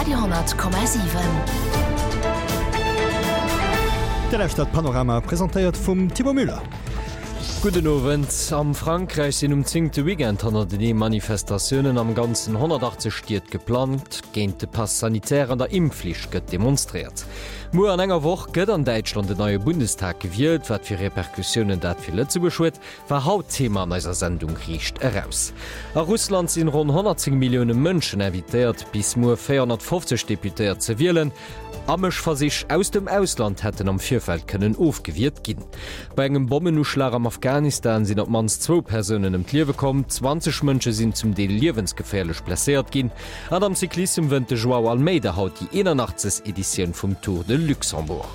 Radio 10,7. Dir lauschtert Panorama, presentéiert vum Thibaut Müller. Gudden Owend. Am Frankräich sinn um zéngte Weekend hannertenee Manifestatiounen am ganzen 180 Stied geplangt. Géint de Pass sanitaire an der Impfflicht gëtt demonstréiert. Muer an enger Woch gëtt an Däitschland en neie Bundestag gewielt. Wat fir Repercussiounen dat fir Lëtzebuerg huet, war haut Thema an eiser Sendung Riicht Eraus. A Russland sinn ronn 110 Millioune Mënschen invitéiert, bis muer 450 Deputéiert ze wielen. Amëschversich aus dem Ausland hätten am Virfeld kënnen ofgewiert ginn. Bei engem Bommenuschlag am Afghanistan sinn op d'mannst zwou Persounen ëm d'Liewe komm, 20 Mënsche sinn zum Deel liewensgeféierlech blesséiert ginn. An am Cyclissem wënnt de Joao Almeida haut déi 81. Editioun vum Tour de Luxembourg.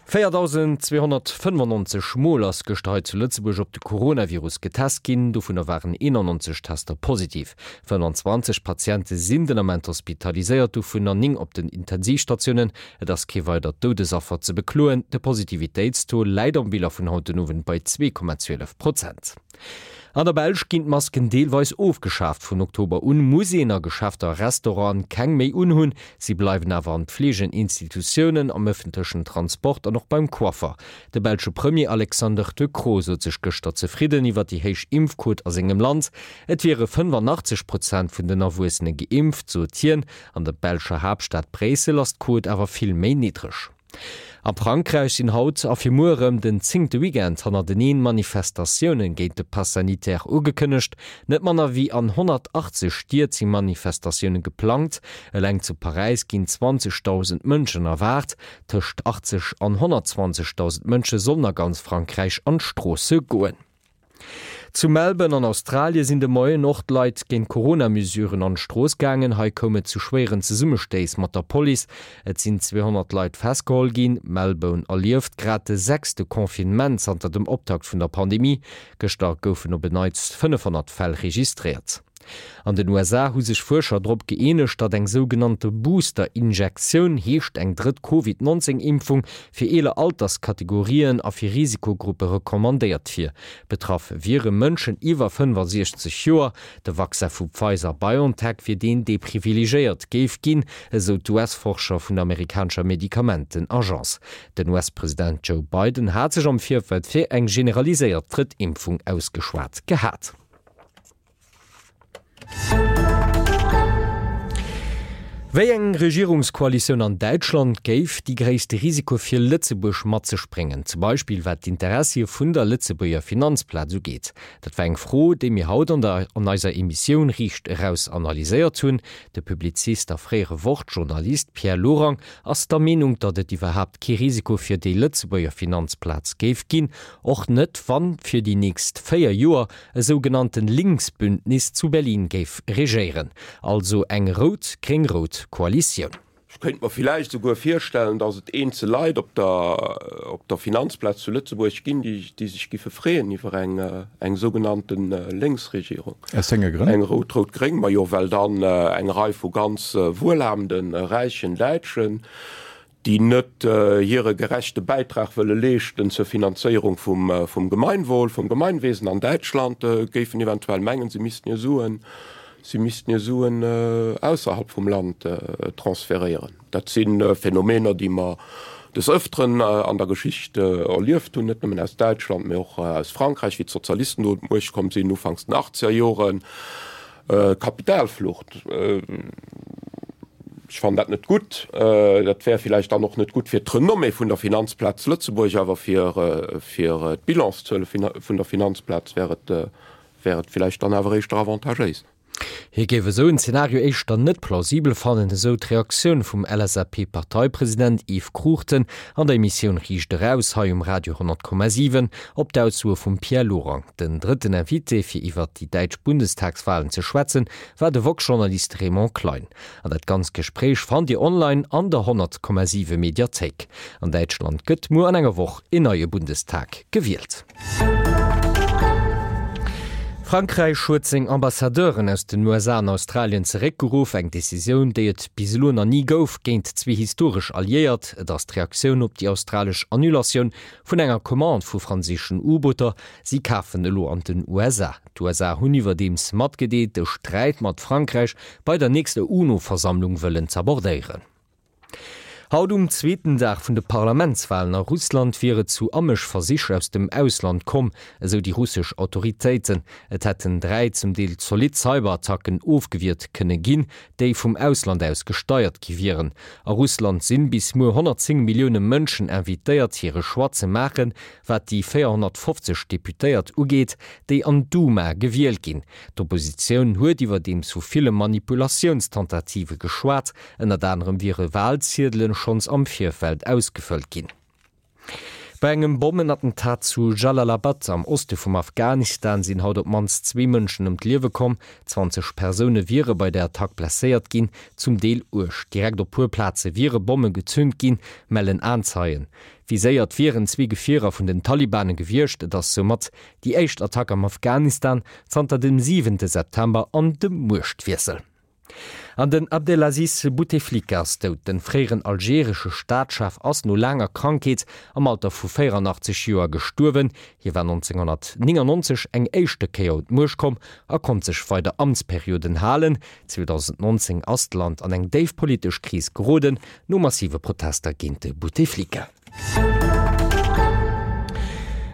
4.295 Mol ass gëschter hei zu Lëtzebuerg op de Coronavirus getest ginn, dovunner waren 91 Tester positiv. 25 Patiente sinn den Ament hospitaliséiert, dovunner 9 op den Intensivstatiounen. Et ass kee weidert Doudesaffer ze bekloen. De Positivitéitstaux läit am Bilan vun haut den Owend bei 2,12 Prozent. An der Belsch ginn d'Masken deelweis ofgeschaaft. Vun Oktober un muss een a Geschäfter a Restauranten keng méi unhunn. Si bleiwen awer an Pflegeninstitutiounen, am ëffentlechen Transport an och beim Coiffer. De belsche Premier Alexander De Croo sot sech gëschter zefridden iwwer déi héich Impfquot a sengem Land. Et wiere 85 Prozent vun den Erwuessene geimpft, sot hien. An der belscher Haaptstad Bréissel ass d'Quot awer vill méi niddreg. A Frankräich sinn haut a fir muer erëm den zéngte Weekend hannerteneen Manifestatioune géint de Pass sanitaire ugekënnegt. Net manner wéi an 180 Stied si Manifestatioune geplangt. Eleng zu Paräis ginn 20.000 Mënschen erwaart. Tëscht 80 an 120.000 Mënsche sollen a ganz Frankräich an d'Stroosse goen. Zu Melbourne an Australie sinn de Moien och d'Leit géint d'Corona-Mesuren an d'Strooss gaangen. Hei koum et zu schwéieren Zesummestéiss mat der Police. Et sinn 200 Leit festgeholl ginn. Melbourne erlieft grad de sechste Confinement zanter dem Optakt vun der Pandemie. Gëschter goufen op en Neits 500 Fäll registréiert. An den USA hu sech Fuerscher drop gëeenegt, datt eng sougenannte Booster-Injektioun, heescht eng drëtt Covid 19 Impfung, fir eeler Alterskategorien a fir Risikogruppe recommandéiert wier. Betraff wiere Mënschen iwwer 65 Joer. De Vaccin vu Pfizer-BioNTech wier deen, dee privilegéiert géif ginn, esou d'US-Forscher vun der amerikanescher Medikamenten-Agence. Den US-President Joe Biden hat sech am Virfeld fir eng generaliséiert drëtt Impfung ausgeschwat gehat. Wéi eng Regierungskoalitioun an Däitschland géif déi gréisste Risikoe fir Lëtzebuerg mat sech bréngen, zum Beispill wat d'Interessie vun der Lëtzebuerger Finanzplaz ugeet? Dat war eng Fro, déi mir haut an der an eiser Emissioun Riicht Eraus analyséiert hunn. De Publizist a fréiere Wort-Journalist Pierre Lorang ass der Meenung, datt et iwwerhaapt kee Risiko fir déi Lëtzebuerger Finanzplaz géif ginn, och net wann fir déi nächst 4 Joer E sougenannten Linksbündnis zu Berlin géif regéieren, also eng rout-gréng-rout Koalitioun. Ech kéint mer villäicht esouguer virstellen, datt et eenzel Leit op der op der Finanzplaz zu Lëtzebuerg ginn, déi déi sech giffe freeën iwwer eng eng sougenannten Lénksregierung. Aus wénge Grënn? Eng rout-rout-gréng, majo well dann eng Rei vu ganz wuelhabenden, räichen Däitschen, déi net hire gerechte Bäitrag wëlle leeschten zur Finanzéierung vum Gemeinwohl, vum Gemeinwesen an Däitschland, géifen eventuell mengen, se missten hir Suen, se missten hir Suen ausserhalb vum Land transferéieren. Dat si Phänomener, déi mer des Ëfteren an der Geschicht erlieft hunn, net nëmmen aus Däitschland, mä och aus Frankräich, wéi d'Sozialisten do un d'Muecht komm sinn, ufanks den Achtzegerjoren. Kapitalflucht, ech fannen dat net gutt. Dat wär villäicht dann och net gutt fir d'Renommée vun der Finanzplaz Lëtzebuerg, awer fir d'Bilanszuele vun der Finanzplaz wär et, wär et villäicht dann awer éischter avantagéis. Hie géif esou en Zenario éischter net plausibel fannen, esou d'Reaktioun vum LSAP-Parteipresident Yves Cruchten an der Emissioun Riicht Eraus hei um Radio 100,7 op d'Aussoe vum Pierre Lorang. Den drëtten Invité fir iwwert déi däitsch Bundestagswalen ze schwätzen, war de woxx-Journalist Raymond Klein. An dat ganzt Gespréich fannt Dir online an der 100,7 Mediathéik. An Däitschland gëtt muer an enger Woch een neie Bundestag gewielt. Frankräich huet seng Ambassadeuren aus den USA an Australien zeréckgeruff, eng Decisioun, déi et bis elo nach ni gouf, géint zwee historesch Alliéiert. Et ass d'Reaktioun op déi australesch Annulatioun vun enger Commande vu franséischen U-Booter. Si kafen elo an den USA. D'USA hunn iwwerdeems matgedeelt, de Sträit mat Frankräich bei der nächster UNO-Versammlung wëllen z'abordéieren. Haut um zweeten Dag vun de Parlamentswalen a Russland wier et zu Amëschversich aus dem Ausland komm, esou déi russesch Autoritéiten. Et hätten 3 zum Deel zolidd Cyberattacken ofgewiert kënne ginn, déi vum Ausland aus gesteiert gi wieren. A Russland sinn bis muer 110 Millioune Mënschen invitéiert hire Choix ze maachen, wat déi 450 Deputéiert ugeet, déi an d'Duma gewielt ginn. D'Oppositioun huet iwwerdeems vu ville Manipulatiounstentative geschwat. Ënnert anerem wiere Walziedelen schonns am Virfeld ausgefëllt ginn. Bei engem Bommenattentat zu Jalalabad am Oste vum Afghanistan sinn haut op d'mannst zwee Mënschen ëm d'Liewe komm. 20 Persoune wiere bei der Attack blesséiert ginn, zum Deel uerg. Direkt op puer Plaze wiere Bomme gezünt ginn, mellen Aenzeien. Viséiert wieren zwee Gefierer vun den Talibane gewiescht. Et ass soumat déi éischt Attack am Afghanistan zanter dem siwente September an dem Muechtwiessel. An den Abdelaziz Bouteflika ass dout. Den fréieren algeresche Staatschef ass no laanger Krankheet am Alter vu 84 Joer gestuerwen. Hie war 1999 eng éischte Kéier un d'Muecht komm a konnt sech weider Amtsperioden halen. 2019 ass d'Land an eng déif politesch Kris geroden, no massive Protester géint de Bouteflika.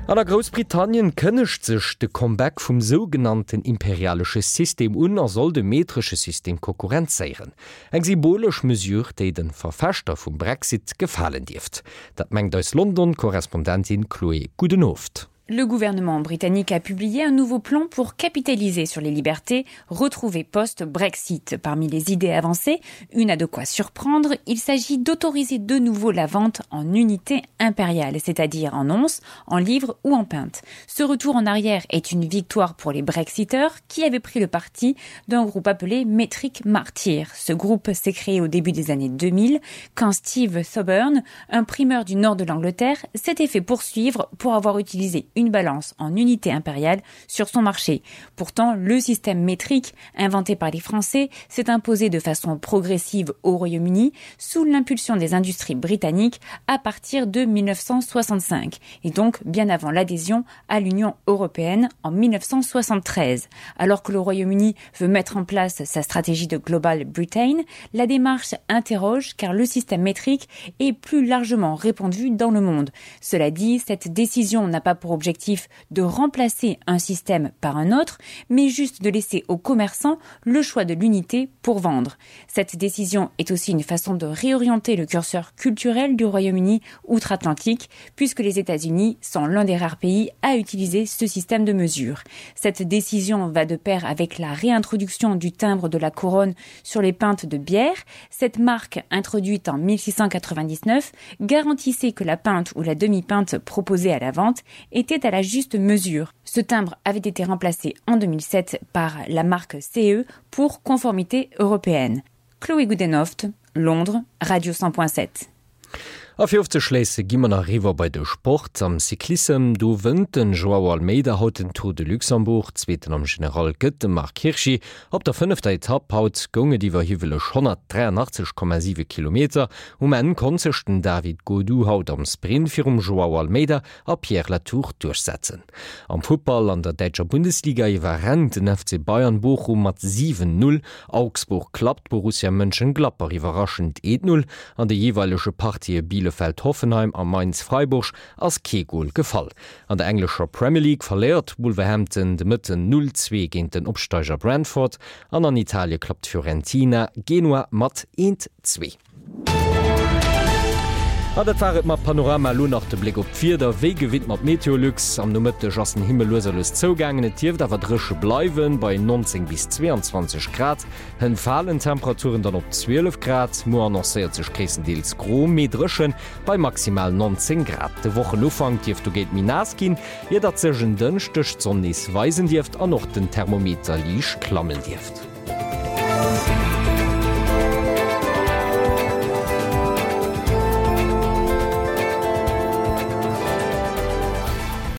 An a Groussbritannien kënnegt sech de Comeback vum sougenannten imperialesche System un a soll de metresche System konkurrenzéieren. Eng symbolesch Mesure, déi de Verfechter vum Brexit gefalen dierft. Dat mengt eis London-Korrespondentin Chloé Goedenhoofd. Le gouvernement britannique a publié un nouveau plan pour capitaliser sur les libertés retrouvées post-Brexit. Parmi les idées avancées, une a de quoi surprendre, il s'agit d'autoriser de nouveau la vente en unité impériale, c'est-à-dire en onces, en livres ou en peintes. Ce retour en arrière est une victoire pour les Brexiteurs qui avaient pris le parti d'un groupe appelé Metric Martyr. Ce groupe s'est créé au début des années 2000 quand Steve Thoburn, un primeur du nord de l'Angleterre, s'était fait poursuivre pour avoir utilisé une balance en unité impériale sur son marché. Pourtant, le système métrique inventé par les Français s'est imposé de façon progressive au Royaume-Uni sous l'impulsion des industries britanniques à partir de 1965 et donc bien avant l'adhésion à l'Union européenne en 1973. Alors que le Royaume-Uni veut mettre en place sa stratégie de Global Britain, la démarche interroge car le système métrique est plus largement répandu dans le monde. Cela dit, cette décision n'a pas pour objectif de remplacer un système par un autre, mais juste de laisser aux commerçants le choix de l'unité pour vendre. Cette décision est aussi une façon de réorienter le curseur culturel du Royaume-Uni outre-Atlantique, puisque les États-Unis sont l'un des rares pays à utiliser ce système de mesure. Cette décision va de pair avec la réintroduction du timbre de la couronne sur les pintes de bière. Cette marque, introduite en 1699, garantissait que la pinte ou la demi-pinte proposée à la vente était à la juste mesure. Ce timbre avait été remplacé en 2007 par la marque CE pour conformité européenne. Chloé Goudenoft, Londres, Radio 100.7. A fir ofzeschléisse gi mer nach eriwwer bei de Sport. Am Cyclissem, do wënnt den Joao Almeida haut den Tour de Luxembourg. Zweeten am General gëtt de Marc Hirschi. Op der fënnefter Etapp haut goung et iwwer hiwweleg 183,7 Kilometer. Um Enn konnt sech den David Gaudu haut am Sprint virum Joao Almeida a Pierre Latour duerchsetzen. Am Futtball an der däitscher Bundesliga iwwerrennt den FC Bayern Bochum mat 7, 0. Augsburg klappt Borussia Mönchengladbach iwwerraschend 1, 0. An de jeeweilege Partië Bielefeld-Hoffenheim a Mainz-Freiburg ass kee Gol gefall. An der englescher Premier League verléiert Wolverhampton de Mëtten 0, 2 géint den Opsteiger Brentford an an Italie klappt Fiorentina Genua mat 1, 2. An dat war et mat Panorama. Elo nach de Bléck op d'Wieder, wéi gewinnt mat Meteolux. Am Nomëtteg ass den Himmel lues a lues zougaangen, et dierft awer dréche bleiwen, bei 19 bis 22 Grad. Hënt falen d'Temperaturen dann op 12 Grad. Muer annoncéiert sech gréisstendeels gro, mee dréchen, bei maximal 19 Grad. De Wochenufank dierft dogéint méi naass ginn, ier datt sech en Dënschdeg d'Sonn nees weisen dierft an och den Thermometer liicht klammen dierft.